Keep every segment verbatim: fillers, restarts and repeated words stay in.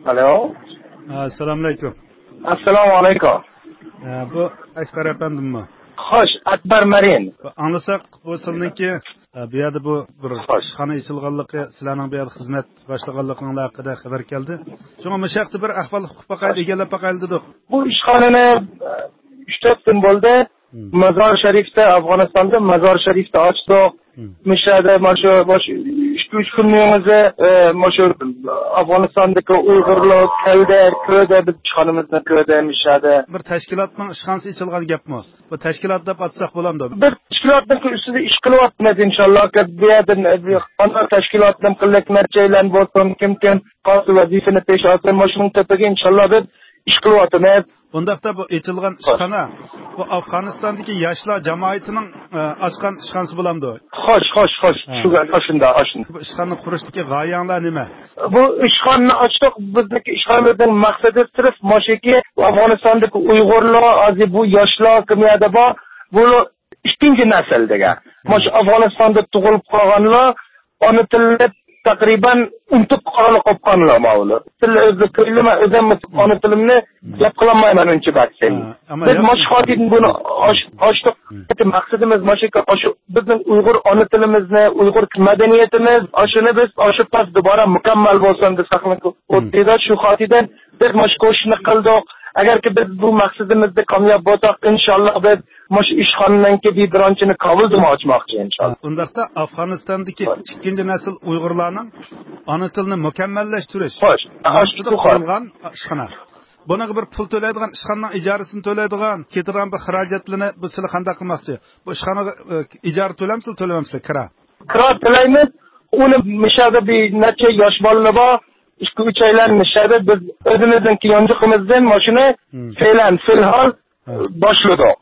ئەلو. ئەسسالامۇئەلەيكۇم. ئەسسالامۇئەلەيكۇم. ئە، بۇ ئەكبەر ئەپەندىممۇ؟ خوش، ئەكبەر مەرىن. بۇ ئاڭلىساق، بۇ سىلنىڭكى، ئە، بۇ يەردە بۇ بىر خوش. ئىشخانا ئېچىلغانلىقى، سىلەرنىڭ بۇ يەردە خىزمەت باشلىغانلىقىڭلار ھەققىدە خەۋەر كەلدى. شۇڭا مۇشۇ ھەقتە بىر ئەھۋال ئۇقۇپ باقايلى، خوش. ئىگىلەپ باقايلى دېدۇق. بۇ ئىشخانىنى، ئە، ئۈچ تۆت كۈن بولدى. مم. مازار شەرىفتە، ئافغانىستاندا مازار شەرىفتە ئاچتۇق. مم. مۇشۇ يەردە مانا شۇ، مانا شۇ ئىككى، ئۈچ كۈننىڭ ئۆزى، ئە، مانا شۇ ئافغانىستاندىكى ئۇيغۇرلار كەلدى، كۆردى، بىز ئىشخانىمىزنى كۆردى مۇشۇ يەردە. بىر تەشكىلاتنىڭ ئىشخانىسى ئېچىلغان گەپمۇ؟ بۇ تەشكىلات دەپ ئاتىساق بولامدۇ؟ بىز تەشكىلاتنىڭ ئۈستىدە ئىش قىلىۋاتىمىز، ئىنشاللا. بۇ يەردىن، ئە، ئانا تەشكىلاتنىڭ قىلىق نەچچەيلەن بولسۇن، كىم كىم قايسى ۋەزىپىنى پېش ئالسۇن، مانا شۇنىڭ تېپىگە ئىنشاللا بىز ئىش قىلىۋاتىمىز. ئۇنداقتا بۇ ئېچىلغان ئىشخانا، بۇ ئافغانىستاندىكى ياشلار جامائىتىنىڭ، ئە، ئاچقان ئىشخانىسى بولامدۇ؟ خوش، خوش، خوش. ھە. شۇ، شۇنداق، شۇنداق. بۇ ئىشخانىنى قۇرۇشتىكى غايەڭلار نېمە؟ بۇ ئىشخانىنى ئاچتۇق. بىزنىڭكى ئىشخانىمىزنىڭ مەقسىتى سىرف ماشۇكى، ئافغانىستاندىكى ئۇيغۇرلار، ھازىر بۇ ياشلار كىم يەردە بار، بۇ ئىككىنچى نەسىلدىگە. مم. مانا شۇ ئافغانىستاندا تۇغۇلۇپ قالغانلار، ئانا تىلىنى تەقرىبەن ئۇنتۇپ قالغانلار، قوپقانلار ماۋۇلار. تىل ئۆزى تىلى، مەن ئۆزۈم ئانا تىلىمنى مم. گەپ قىلالمايمەن ئۇنچە بەك. ھە، ئەمما بىز ياخشى. مانا شۇ خاتىدىن بۇنى ئاچ-، ئاچتۇق. مم. مەقسىتىمىز مانا شۇ، ئاشۇ بىزنىڭ ئۇيغۇر ئانا تىلىمىزنى، ئۇيغۇر مەدەنىيىتىمىز، ئاشۇنى بىز ئاشۇ تاز دۇبارە مۇكەممەل بولسۇن دېسەكمۇ، مم. ئۇنداق شۇ خاتىدىن بىز مانا شۇ كوشىشنى قىلدۇق. ئەگەركى بىز بۇ مەقسىتىمىزدە كامياب بولساق، ئىنشاللا بىز مۇشۇ ئىشخانىنىڭكى بىر بىرانچىنى كاۋىلدىمۇ ئاچماقچى، ئىنشاللا. ھە، ئۇنداقتا ئافغانىستاندىكى ئىككىنچى نەسىل ئۇيغۇرلارنىڭ ئانا تىلىنى مۇكەممەللەشتۈرۈش خوش. مەقسىتىدە قۇرۇلغان ئىشخانا. بۇنىڭغا بىر پۇل تۆلەيدىغان، ئىشخانىنىڭ ئىجارىسىنى تۆلەيدىغان، كېتىدىغان بىر خىراجەتلىرىنى بۇ سىلى قانداق قىلماقچى؟ بۇ ئىشخانىغا، ئە، ئىجارە تۆلەمسىلە، تۆلىمەمسىلە، كىرا؟ كىرا تۆلەيمىز. ئۇنى مۇشۇ يەردە بىر نەچچە ياش بالىلار بار. ئىككى، ئۈچەيلەن مۇشۇ يەردە بىز ئۆزىمىزنىڭكى يانچۇقىمىزدىن ماشىنا مم. فەيلەن، فىلھال ھە. باشلىدۇق.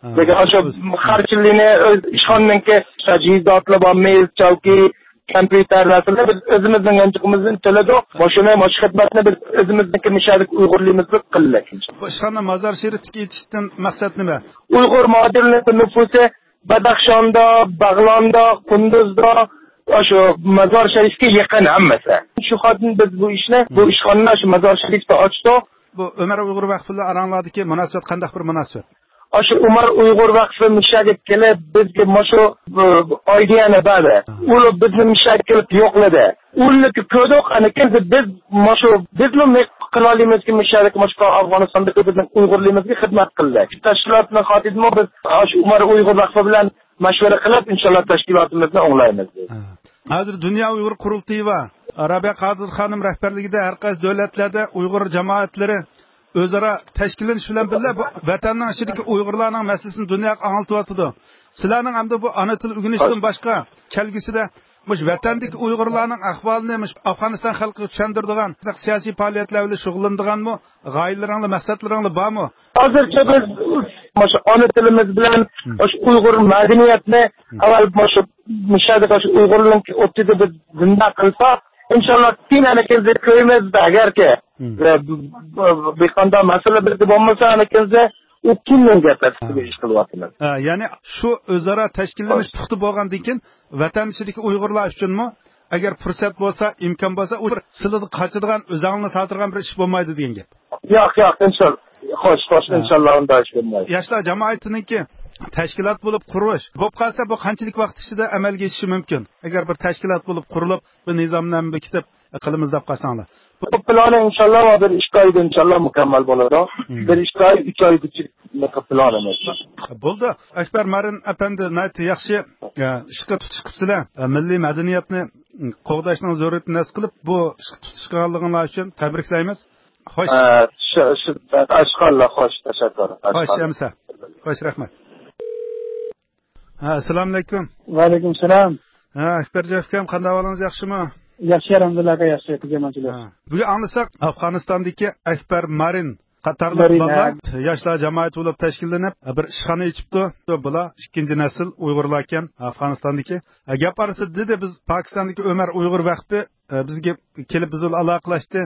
ھە. لېكىن ئاشۇ خەرجلىرىنى ئۆز ئىشخانىنىڭكى تەجھىزاتلار بار، مېز، چاۋكى، كومپيۇتېر نەرسىلەرنى بىز ئۆزىمىزنىڭ يانچۇقىمىزدىن تۆلىدۇق. ماشىنا، ماشىنا خىزمەتنى بىز ئۆزىمىزنىڭكى مۇشۇ يەردىكى ئۇيغۇرلىرىمىزغا قىلدۇق. بۇ ئىشخانا مازار شېرىپتىكى ئېچىشتىن مەقسەت نېمە؟ ئۇيغۇر مادىرىنىڭ نوپۇسى بەدەخشاندا، بەغلاندا، قۇندۇزدا، شۇ مازار شەرىپكە يېقىن ھەممىسى. شۇ خاتىدىن بىز بۇ ئىشنى، بۇ ئىشخانىنى شۇ مازار شەرىپتە ئاچتۇق. بۇ ئۆمەر ئۇيغۇر ۋەقفى بىلەن ئاراڭلاردىكى مۇناسىۋەت قانداق بىر مۇناسىۋەت؟ ئاشۇ ئۆمەر ئۇيغۇر ۋەقفى مۇشۇ يەرگە كېلىپ، بىزگە مۇشۇ، بۇ، ئايدىيەنى بەردى. ئۇلار بىزنى مۇشۇ يەرگە كېلىپ يوقلىدى. ئۇلارنى كۆردۇق، ئەنە كېيىن بىز مۇشۇ، بىزمۇ نېمە قىلالايمىزكى، مۇشۇ يەردىكى مۇشۇ ئافغانىستاندىكى بىزنىڭ ئۇيغۇرلىرىمىزغا خىزمەت قىلدى. تەشكىلاتنىڭ خاتىرىدىمۇ بىز شۇ ئۆمەر ئۇيغۇر ۋەقفى بىلەن مەشۋەرە قىلىپ، ئىنشاللا تەشكىلاتىمىزنى ئوڭلايمىز. ھە. ھازىر دۇنيا ئۇيغۇر قۇرۇلتىيى بار. رابىيە قادىر خانىم رەھبەرلىكىدە ھەر قايسى دۆلەتلەردە ئۇيغۇر جامائەتلىرى ئۆزئارا تەشكىللىنىش بىلەن بىللە، بۇ ۋەتەننىڭ ئىچىدىكى ئۇيغۇرلارنىڭ مەسىلىسىنى دۇنياغا ئاڭلىتىۋاتىدۇ. سىلەرنىڭ ئەمدى بۇ ئانا تىل ئۆگىنىشتىن باشقا، كەلگۈسىدە مۇشۇ ۋەتەندىكى ئۇيغۇرلارنىڭ ئەھۋالىنى مۇشۇ ئافغانىستان خەلقىگە چۈشەندۈرىدىغان سىياسىي پائالىيەتلەر بىلەن شۇغۇللىنىدىغانمۇ غايىلىرىڭلار، مەقسەتلىرىڭلار بارمۇ؟ ھازىرچە بىز مۇشۇ ئانا تىلىمىز بىلەن مۇشۇ ئۇيغۇر مەدەنىيەتنى ئاۋۋال مۇشۇ، مۇشۇ يەردە مۇشۇ ئۇيغۇرنىڭ ئوتىدا بىز زىندا قىلسا، ئىنشاللا كېيىن ئەنە كېيىن كۆرىمىز. ئەگەركى، ئە، بۇ، بۇ، بۇ، بىر قانداق مەسىلە بىزدە بولمىسا، ئەنە كېيىن ئۇ كېيىننىڭ گەپلىرى، ھە. ئىش قىلىۋاتىمىز. ھە، يەنى شۇ ئۆزئارا تەشكىللىنىش پۇختا بولغاندىن كېيىن، ۋەتەن ئىچىدىكى ئۇيغۇرلار ئۈچۈنمۇ، ئەگەر پۇرسەت بولسا، ئىمكان بولسا، ئۇ بىر سىلىدىن قاچىدىغان، ئۆزۈڭنى تارتىدىغان بىر ئىش بولمايدۇ دېگەن گەپ. ياق، ياق، ئىنشاللا. خوش، خوش، ھە. ئىنشاللا ئۇنداق ئىش بولمايدۇ. ياشلار جامائىتىنىڭكى تەشكىلات بولۇپ قۇرۇش، بولۇپ قالسا، بۇ قانچىلىك ۋاقىت ئىچىدە ئەمەلگە ئېشىشى مۇمكىن؟ ئەگەر بىر تەشكىلات بولۇپ قۇرۇلۇپ، بىر نىزامنامە بېكىتىپ، قىلىمىز دەپ قالساڭلار. بۇ پىلانى ئىنشاللا بىر ئىككى ئايدا ئىنشاللا مۇكەممەل بولىدۇ. مم. بىر ئىككى ئاي، ئۈچ ئايغىچە پىلانىمىز بار. بولدى. ئەكبەر مارىن ئەپەندى، ناھايىتى ياخشى، ئە، ئىشقا تۇتۇش قىپسىلە، ئە، مىللىي مەدەنىيەتنى قوغداشنىڭ زۆرۈرىيىتىنى ھېس قىلىپ، بۇ ئىشقا تۇتۇشقانلىقىڭلار ئۈچۈن تەبرىكلەيمىز. خوش. ئە، شۇ، شۇ، ئاشقانلا خوش، تەشەككۈر. خوش، ئاشقانلا. ئەمىسە. خوش، رەھمەت. ھە، ئەسسالامۇئەلەيكۇم. ۋەئەلەيكۇم سالام. ھە، ئەكبەرجان ئۇكام، قانداق ئەھۋالىڭىز، ياخشىمۇ؟ ياخشى، ئەلھەمدۇلىللا، ياخشى، قىزىم، ھە. بۈگۈن ئاڭلىساق، ئافغانىستاندىكى ئەكبەر مارىن قاتارلىق مارىن، بالىلار، ھە. ياشلار جامائىتى بولۇپ تەشكىللىنىپ، بىر ئىشخانا ئېچىپتۇ. بۇلار ئىككىنچى نەسىل ئۇيغۇرلاركەن ئافغانىستاندىكى. ھە، گەپ ئارىسىدا دېدى، بىز پاكىستاندىكى ئۆمەر ئۇيغۇر ۋەقپى، ئە، بىزگە كېلىپ بىز بىلەن ئالاقىلەشتى.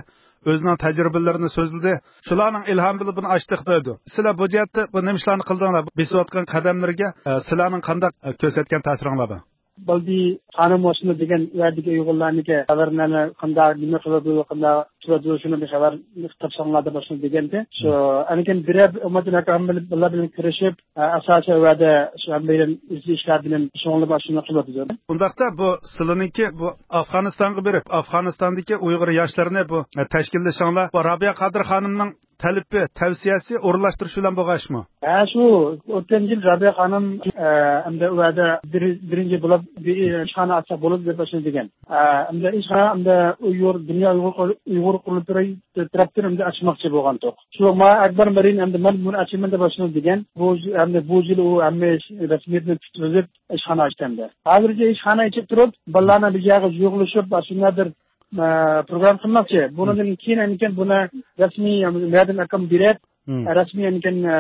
ئۆزىنىڭ تەجرىبىلىرىنى سۆزلىدى. شۇلارنىڭ ئىلھامى بىلەن بۇنى ئاچتۇق دەيدۇ. سىلەر بۇ جەھەتتە بۇ نېمە ئىشلارنى قىلدىڭلار؟ بېسىۋاتقان قەدەملىرىگە، ئە، سىلەرنىڭ قانداق، ئە، كۆرسەتكەن تەسىرىڭلار بار؟ بالدى خانىم مۇشۇنى دېگەن، يەردىكى ئۇيغۇرلارنىڭكى خەۋەرلەرنى قانداق، نېمە قىلىدۇ، قانداق تۇرىدۇ، شۇنى بىر خەۋەر تاپساڭلار دەپ مۇشۇنى دېگەنتى. شۇ، ئەنكىن بىرەر ئۈممەتتىن ئاكام بىلەن، بىلەن كۆرۈشۈپ، ئە، ئاساسىي ۋەدە شۇ ھەممەيلەن ئىزدىن ئىشلار بىلەن شۇڭلىماس شۇنى قىلىدۇ. ئۇنداقتا بۇ سىلىنىڭكى بۇ ئافغانىستانغا بېرىپ، ئافغانىستاندىكى ئۇيغۇر ياشلىرىنى بۇ، ئە، تەشكىللىشىڭلار، بۇ رابىيە قادىر خانىمنىڭ تەلىپى، تەۋسىيەسى ئورۇنلاشتۇرۇش بىلەن بولغان ئىشمۇ؟ ھە، شۇ ئۆتكەن يىل رابىيە خانىم، ئە، ئەمدى ئۇ يەردە بىر-، بىرىنچى بولۇپ بىر ئىشخانا ئاچساق بولىدۇ دەپ شۇنى دېگەن. ئە، ئەمدى ئىشخانا ئەمدى ئۇيغۇر، دۇنيا ئۇيغۇر قۇر-، ئۇيغۇر قۇرۇلتىيى تەرەپتىن ئەمدى ئاچماقچى بولغانتۇق. شۇ ما ئەكبەر مەرىن ئەمدى مەن بۇنى ئاچىمەن دەپ شۇنى دېگەن. بۇ، ئەمدى بۇ يىل ئۇ ھەممە ئىش رەسمىيەتنى پۈتكۈزۈپ ئىشخانا ئاچتى ئەمدى. ھازىرچە ئىشخانا ئېچىپ تۇرۇپ، بالىلارنى بىر يەرگە يىغىلىشىپ، شۇنداق بىر ئە، پروگرام قىلماقچى. بۇنىڭدىن كېيىن ئەنكەن بۇنى رەسمىي مەدەم ئاكام بېرىپ، مم. رەسمىي ئەنكەن، ئە،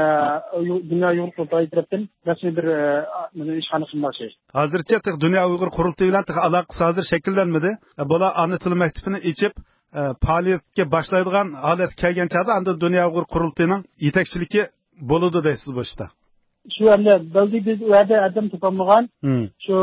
يۇ-، دۇنيا ئۇيغۇر قۇرۇلتىيى تەرەپتىن رەسمىي بىر، ئە، ئىشخانا قىلماقچى. ھازىرچە تېخى دۇنيا ئۇيغۇر قۇرۇلتىيى بىلەن تېخى ئالاقىسى ھازىر شەكىللەنمىدى. ئە، بۇلار ئانا تىل مەكتىپىنى ئېچىپ، ئە، پائالىيەتكە باشلايدىغان ھالەتكە كەلگەن چاغدا ئاندىن دۇنيا ئۇيغۇر قۇرۇلتىيىنىڭ يېتەكچىلىكى بولىدۇ دەيسىز بۇ ئىشتا. شۇ ئەمدى بەلگە بىز ئۇ يەردە ئادەم تاپالمىغان. مم. شۇ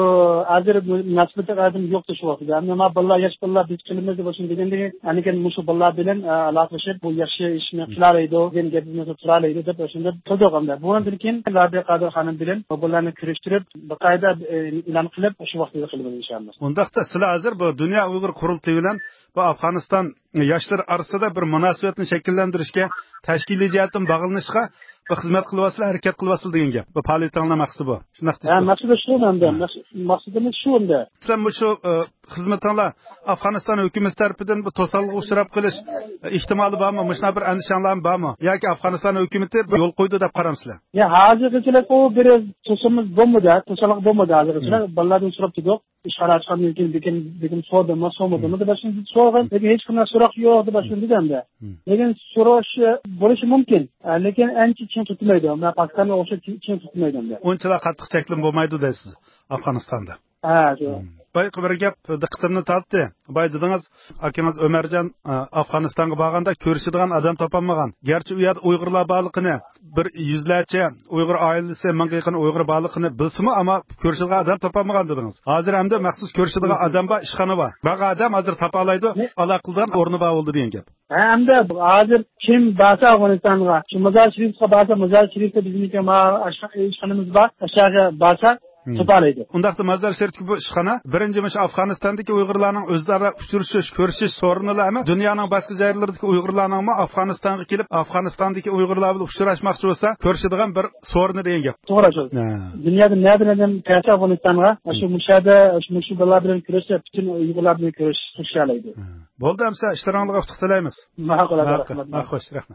ھازىر مۇناسىۋەتلىك ئادەم يوق شۇ ۋاقىتتا. ئەمدى ما بالىلار ياش بالىلار بىز قىلىمىز دەپ شۇنى دېگەندىن كېيىن، ئەنكەن مۇشۇ بالىلار بىلەن، ئە، ئالاقىلىشىپ، بۇ ياخشى ئىشنى قىلالايدۇ، دېگەن گەپنى قىلالايدۇ دەپ شۇنداق قىلدۇق ئەمدى. بۇنىڭدىن كېيىن رابىيە قادىر خانىم بىلەن بۇ بالىلارنى كۆرۈشتۈرۈپ، باقايىدا، ئە، ئېلان قىلىپ، شۇ ۋاقىتتا قىلىمىز ئىنشائاللا. ئۇنداقتا سىلەر ھازىر بۇ دۇنيا ئۇيغۇر قۇرۇلتىيى بىلەن بۇ ئافغانىستان ياشلىرى ئارىسىدا بىر مۇناسىۋەتنى شەكىللەندۈرۈشكە، تەشكىلىي جەھەتتىن باغلىنىشقا بىر خىزمەت قىلىۋاتىسىلەر، ھەرىكەت قىلىۋاتىسىلەر دېگەن گەپ. بۇ پائالىيىتىڭلار مەقسىتى بۇ. شۇنداق ھە، دېيىشتۇ. مەقسىتى شۇ ئەمدى. ھە. مەقس-، مەقسىتىمىز شۇ ئەمدى. سىلەر مۇشۇ، ئە، خىزمىتىڭلار ئافغانىستان ھۆكۈمىتى تەرىپىدىن بۇ توسالغۇغا ئۇچراپ قېلىش، ئە، ئېھتىمالى بارمۇ؟ مۇشۇنداق بىر ئەندىشەڭلارمۇ بارمۇ؟ ياكى ئافغانىستان ھۆكۈمىتى بىر يول قويدى دەپ قارامسىلەر؟ يا، ھازىرغىچىلىك ئۇ بىر توسالغۇ بولمىدى، توسالغۇ بولمىدى ھازىرغىچىلىك. مم. بالىلاردىن سوراپ تۇردۇق. ئىشخانا ئاچقاندىن كېيىن بېكىن، بېكىن سورىدىمۇ، سورىمىدىمۇ دەپ شۇنداق سورىغان. لېكىن ھېچقانداق سوراق يوق دەپ شۇنداق دېدى ئەمدى. لېكىن سوراش بولۇشى مۇمكىن. لېكىن ئانچە چىڭ تۇتمايدۇ. مەن پاكىستانغا ئوخشاش چىڭ، چىڭ تۇتمايدۇ ئەمدى. ئۇنچىلا قاتتىق چەكلىمە بولمايدۇ دەيسىز ئافغانىستاندا. ھە، شۇ. بايىقى بىر گەپ دىققىتىمنى تارتتى. بايا دېدىڭىز، ئاكىڭىز ئۆمەرجان، ئە، ئافغانىستانغا بارغاندا كۆرۈشىدىغان ئادەم تاپالمىغان. گەرچە ئۇ يەردە ئۇيغۇرلار بارلىقىنى، بىر يۈزلەرچە ئۇيغۇر ئائىلىسى، مىڭغا يېقىن ئۇيغۇر بارلىقىنى بىلسىمۇ، ئەمما كۆرۈشىدىغان ئادەم تاپالمىغان دېدىڭىز. ھازىر ئەمدى مەخسۇس كۆرۈشىدىغان ئادەم بار، ئىشخانا بار. بارغان ئادەم ھازىر تاپالايدۇ، ئالاقە قىلىدىغان ئورنى بار بولدى دېگەن گەپ. ھە، ئەمدى ھازىر كىم بارسا ئافغانىستانغا، شۇ مازار شېرىفقا بارسا، مازار شېرىفتا بىزنىڭكى ما-، ئاشخا-، ئىشخانىمىز بار، ئاشۇ يەرگە بارسا، تاپالايدۇ. ئۇنداقتا مازار شېرىپتىكى بۇ ئىشخانا بىرىنچى مۇشۇ ئافغانىستاندىكى ئۇيغۇرلارنىڭ ئۆزئارا ئۇچرىشىش، كۆرۈشۈش سورۇنىلا ئەمەس، دۇنيانىڭ باشقا جايلىرىدىكى ئۇيغۇرلارنىڭمۇ ئافغانىستانغا كېلىپ، ئافغانىستاندىكى ئۇيغۇرلار بىلەن ئۇچراشماقچى بولسا، كۆرۈشىدىغان بىر سورۇنى دېگەن گەپ. توغرا شۇ. ھە. دۇنيادا نەدىن ئادەم كەلسە ئافغانىستانغا، شۇ مۇشۇ يەردە، شۇ، مۇشۇ بالىلار بىلەن كۆرۈشسە، پۈتۈن ئۇيغۇرلار بىلەن كۆرۈشەلەيدۇ. ھە. بولدى، ئەمسە ئىشلىرىڭلارغا ئۇتۇق تىلەيمىز. ماقۇل، ماقۇل. ماقۇل، ماقۇل. خوش، رەھمەت.